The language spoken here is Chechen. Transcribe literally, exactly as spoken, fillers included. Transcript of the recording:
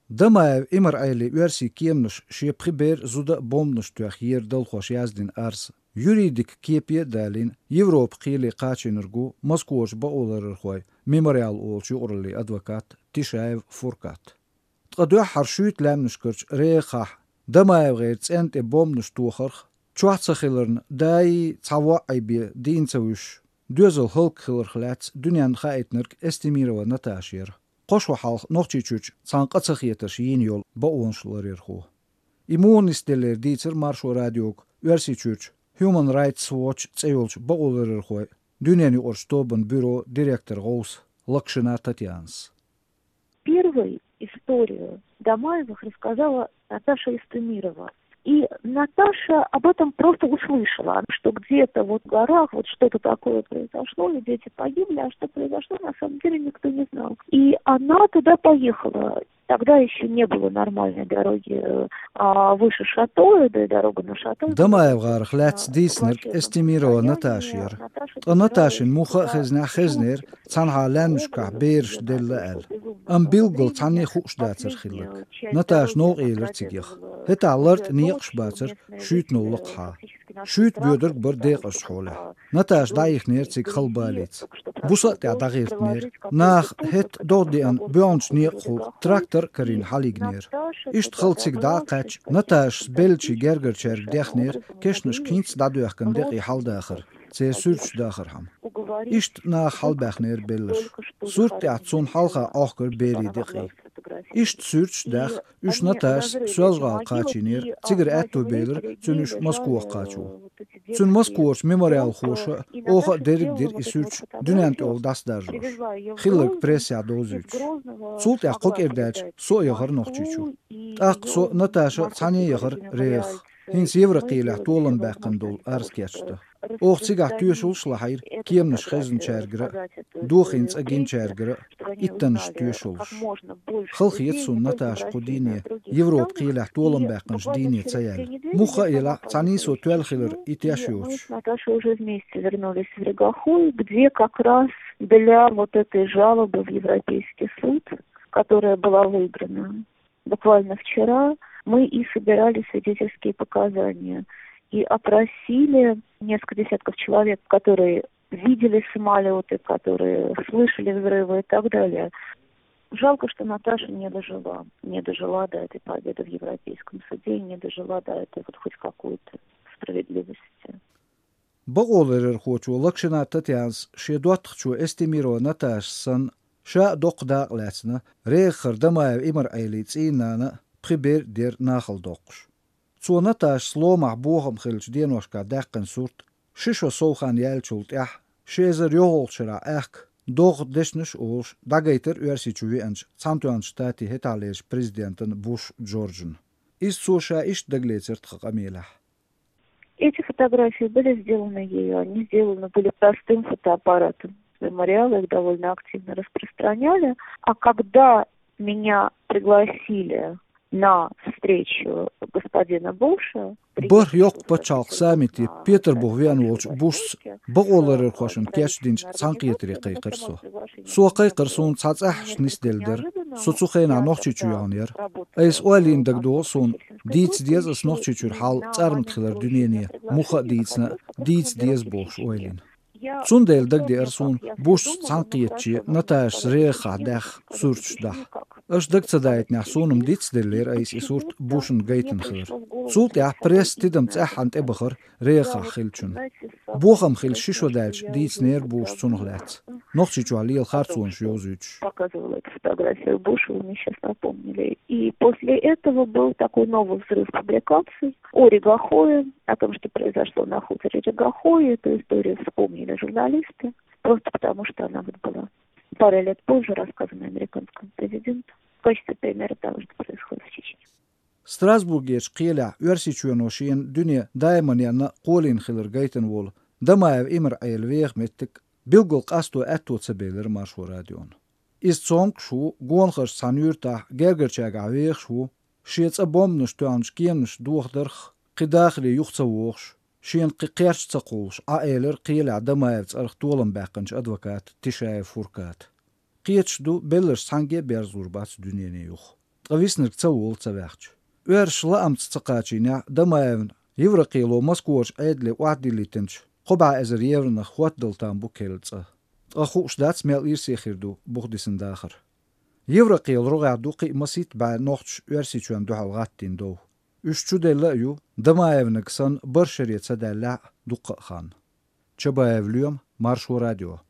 Дамаев Имар-Ӏелин оьрсийн кеманаш шен пхи бер, зуда а бомбанаш тоьхна ера далхоша яздина арз. Юридикан кепе а далийна, Европан кхеле кхачийнарг ву Москварчу бакъоларъярхойн «Мемориал» олучу юкъараллин адвокат Тишаев Фуркат. Ткъа дуьххьара шуьйта лаьмнашкарчу рехахь ДамаевгӀеран цӀенна тӀе бомбанаш тохарх, чохь ца хиларна, даий цхьа воӀ бен дийна ца вуьсуш, доьзал хӀаллакьхиларх лаьцна дуьненна хаийтинарг Эстемирова Наташа яра. Кхо шо хьалха Нохчийчуьрчу цхьана къа ца хетарш йийна йолу бакъонаш ларъярхо. И муха нисделлера дийцира Маршо радиога Оьрсийчуьрчу Human Rights Watch цӀе йолчу бакъоларъярхойн дуьненаюкъарчу тобанан бюрон директоран гӀовса Локшина Татьянас. Первой историю Дамаевых рассказала Наташа Эстемирова. И Наташа об этом просто услышала, что где-то вот в горах вот что-то такое произошло, и дети погибли, а что произошло, на самом деле никто не знал. И она туда поехала. Тогда еще не было нормальной дороги, а, выше Шатоя, да и дорога на Шатоя была... ДамаевгӀарах лаьцна дийцинарг Эстемирова Наташа яра. Ткъа Наташина муха а хезнехь хезнера, цхьанхьа лаьмнашкахь бераш делла аьлла. Амма билггал цхьанне а хууш дацара хилларг. Наташа новкъа елира цига яха. ХӀетахь лартӀа некъаш бацара шуьйтанал лакхахьа. Шуьйта боьдург бара декъазчу хьолехь. Наташа дӀаихнера цига хала балица. Буса а тӀехь дӀагӀиртинера. Наха хӀетта догӀа деана боьлханчу некъахула трактор а карийна хьалайигнера. Иштта хала цига дӀа а кхаьчча, Наташас беллачийн гергарчаьрга дехнера кешнашка хӀинцца дӀадоьхкина декъий хьаладахар, церан суьрташ дахархьама. Иштта наха хьалабаьхнера белларш. Сурт тӀехь цунна хьалха Ӏохкура берийн декъий. Иштта суьрташ а даьхна, уьш Наташас Соьлжа-ГӀала кхачийнера, цигара аьтто белира цуьнан уьш Москвахь кхачо. Цуьнан Москварчу мемориалхоша а, оха а дерриг а дира и суьрташ дуьненна тӀехула дӀасадаржош, хилларг прессехь довзуьйтуш. Цул тӀаьхьа кхо кӀира даьлча, со а яхара Нохчийчу. ТӀаккха со а, Наташа а цхьаьна яхара рехах, хӀинца Еврокхелехь толам баьккхина долу арз кечдан. Оха цигахь тоьшаллаш а лахьийра кеманаш хезнарчаьргара а, дохийна цӀа гинчаьргара а иттаннаш тоьшаллаш. Хала хета суна Наташа кху дийне, Европан кхелехь толам баьккхинчу дийне ца яьлла. Муха а елахь, цхьаьний со тоьлла хилар и теш йоцуш. Наташа уже вместе вернулись в Регахой, где как раз для вот этой жалобы в Европейский суд, которая была выиграна буквально вчера, мы и собирали свидетельские показания и опросили несколько десятков человек, которые видели самолёты, которые слышали взрывы и так далее. Жалко, что Наташа не дожила, не дожила до этой победы в Европейском суде и не дожила до этой вот хоть какой-то справедливости. Бакъоларъярхочо Локшина Татьянас шен доттагӀчо Эстемирова Наташас санна, ша а доккха дакъа лаьцна, рехахара Дамаев Имар-Ӏелин цӀийнан нана а, пхи бер а дера нахала доккхуш. Цо Наташас ломахь бохам хиллачу деношкахь даьккхина сурт, ши шо сов хан яьллачул тӀаьхьа, ши эзар йолхалгӀачу шарахь аьхка, догӀа дешнаш а олуш, дӀагайтира Оьрсийчу веанчу Цхьаьнатоьхначу Штатийн хӀетахьлерчу президентана Буш Джорджана. Иза цо ша иштта дагалецира тхан къамелехь. Эти фотографии были сделаны ею, они сделаны были простым фотоаппаратом. Мемориалы их довольно активно распространяли. А когда меня пригласили на встречу господина Буша, БархӀ-Йоккха пачхьалкхан саммите Петарбухе веана волчу Бушца бакъоларъярхошна кечдинчу цхьаьнакхетаре кхайкхира со. Со кхайкхира, суна цхьа цӀахь нисделла дара. Со цу хенахь Нохчийчу йогӀун яра. Айса ойла йина дагадогӀу суна, дийца деза аса Нохчийчуьра хьал цӀармат хилар дуьнене, муха а дийцина а, дийца деза бохуш ойла йина. Цундела дагадеара суна Бушца цхьаьнакхетаче Наташас рехахь даьхна сурташ дахьа. Аша дага ца даийтинехь, суна-м дицделлера айса и сурт Бушна гайтина хилар. Цул тӀаьхьа пресса тидам цӀеххьана тӀебахара рехахь хиллачунна. Бохам хилла ши шо даьлча дийцинера Буша цунах лаьцна, Нохчийчохь лела харцонаш йовзуьйтуш. Показывала эту фотографию Буша, вы мне сейчас напомнили. И после этого был такой новый взрыв публикаций о Регахое, о том, что произошло на хуторе Регахое. Эту историю вспомнили журналисты, просто потому что она вот была пару лет позже рассказана американскому президенту в качестве примера того, что происходит в Чечне. Страсбургерчу кхелехь Оьрсийчоьно шена дуьне даиман янна кхолийна хилар гайтина волу Дамаев Имар-Ӏелин веха меттиг билггал къасто аьтто ца белира Маршо радиона. Иза цомгуш ву, гонахарчу цхьана юьртахь гергарчаьргахь вехаш ву, шен цӀа бомбанаш тоьхначу кеманаш дохадарх кхин дахаре юха ца вогӀуш, шена кхин кхерч ца кхуллуш, Ӏа элира кхелехь Дамаевн цӀарах толам баьккхинчу адвоката Тишаев Фурката. Кхеташ ду, белларш цхьаьнгге а берзалур бац дуьнене юха. ткъа виснарг ца волу ца ваьхча. Оьрсаша лаамца ца кхачийнехь, Дамаевна Еврокхело Москварчу Ӏедале охьадиллийтинчу кхо бӀе эзар евронах хӀоттадала там бу керла цӀа. Ткъа хууш дац, мел ирсе хир ду буха дисина дахар. Еврокхелан рогӀехь ду кхин а масийтта бӀе нохчаша Оьрсийчоьнна дуьхьал гӀаттийна дов. Уьш чуделла а ю, Дамаевнаг санна, барх шаре ца даьллехь а дуккха а хан. Чабаев Лоьма, Маршо радио.